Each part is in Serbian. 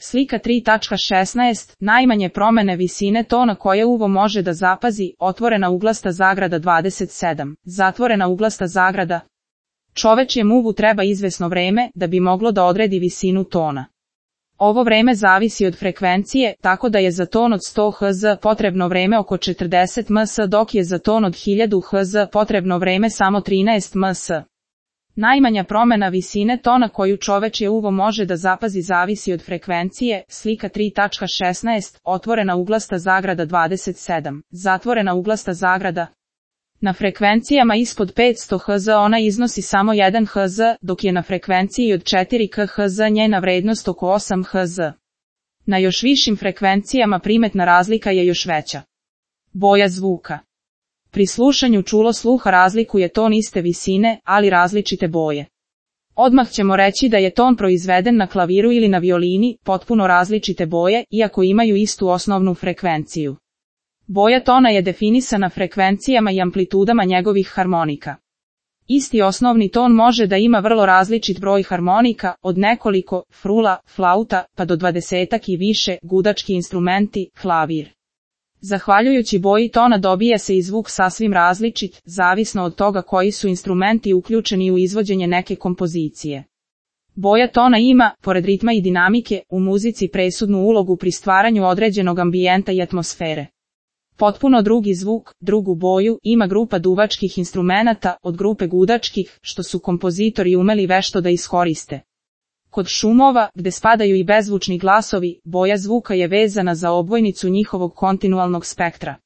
Slika 3.16, najmanje promene visine tona koje uvo može da zapazi, otvorena uglasta zagrada 27, zatvorena uglasta zagrada. Čovečijem uvu treba izvesno vreme da bi moglo da odredi visinu tona. Ovo vreme zavisi od frekvencije, tako da je za ton od 100 Hz potrebno vreme oko 40 ms, dok je za ton od 1000 Hz potrebno vreme samo 13 ms. Najmanja promena visine tona koju čovečje uvo može da zapazi zavisi od frekvencije, slika 3.16, otvorena uglasta zagrada 27, zatvorena uglasta zagrada. Na frekvencijama ispod 500 Hz ona iznosi samo 1 Hz, dok je na frekvenciji od 4 kHz njena vrednost oko 8 Hz. Na još višim frekvencijama primetna razlika je još veća. Boja zvuka. Pri slušanju čulo sluha razlikuje ton iste visine, ali različite boje. Odmah ćemo reći da je ton proizveden na klaviru ili na violini, potpuno različite boje, iako imaju istu osnovnu frekvenciju. Boja tona je definisana frekvencijama i amplitudama njegovih harmonika. Isti osnovni ton može da ima vrlo različit broj harmonika, od nekoliko, frula, flauta, pa do 20 i više, gudački instrumenti, klavir. Zahvaljujući boji tona dobija se i zvuk sasvim različit, zavisno od toga koji su instrumenti uključeni u izvođenje neke kompozicije. Boja tona ima, pored ritma i dinamike, u muzici presudnu ulogu pri stvaranju određenog ambijenta i atmosfere. Potpuno drugi zvuk, drugu boju, ima grupa duvačkih instrumenata, od grupe gudačkih, što su kompozitori umeli vešto da iskoriste. Kod šumova, gde spadaju i bezvučni glasovi, boja zvuka je vezana za obojnicu njihovog kontinualnog spektra.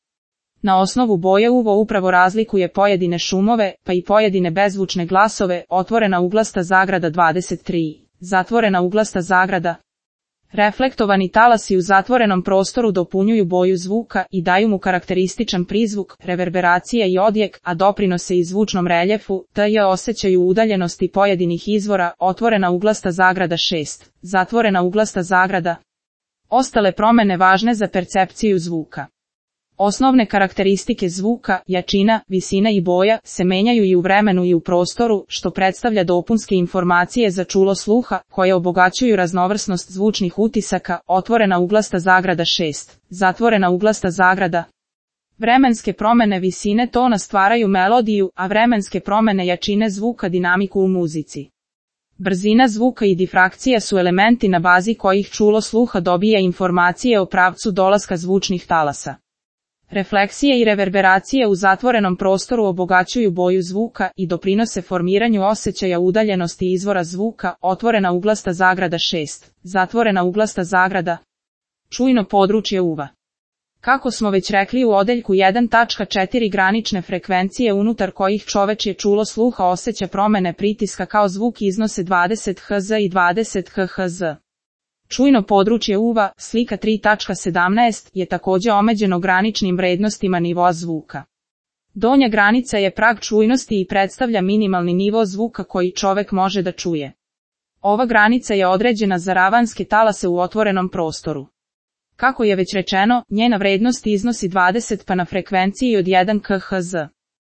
Na osnovu boje uvo upravo razlikuje pojedine šumove, pa i pojedine bezvučne glasove, otvorena uglasta zagrada 23, zatvorena uglasta zagrada. Reflektovani talasi u zatvorenom prostoru dopunjuju boju zvuka i daju mu karakterističan prizvuk, reverberacija i odjek, a doprinose i zvučnom reljefu, te osjećaju udaljenosti pojedinih izvora, otvorena uglasta zagrada 6, zatvorena uglasta zagrada. Ostale promene važne za percepciju zvuka. Osnovne karakteristike zvuka, jačina, visina i boja, se menjaju i u vremenu i u prostoru, što predstavlja dopunske informacije za čulo sluha, koje obogaćuju raznovrsnost zvučnih utisaka, otvorena uglasta zagrada 6, zatvorena uglasta zagrada. Vremenske promene visine tona stvaraju melodiju, a vremenske promene jačine zvuka dinamiku u muzici. Brzina zvuka i difrakcija su elementi na bazi kojih čulo sluha dobija informacije o pravcu dolaska zvučnih talasa. Refleksije i reverberacije u zatvorenom prostoru obogaćuju boju zvuka i doprinose formiranju osjećaja udaljenosti izvora zvuka, otvorena uglasta zagrada 6, zatvorena uglasta zagrada. Čujno područje uva. Kako smo već rekli u odeljku 1.4 granične frekvencije unutar kojih čovečje čulo sluha osjeća promene pritiska kao zvuk iznose 20 Hz i 20 kHz. Čujno područje uva, slika 3.17, je također omeđeno graničnim vrednostima nivoa zvuka. Donja granica je prag čujnosti i predstavlja minimalni nivo zvuka koji čovek može da čuje. Ova granica je određena za ravanske talase u otvorenom prostoru. Kako je već rečeno, njena vrednost iznosi 20 pa na frekvenciji od 1 kHz.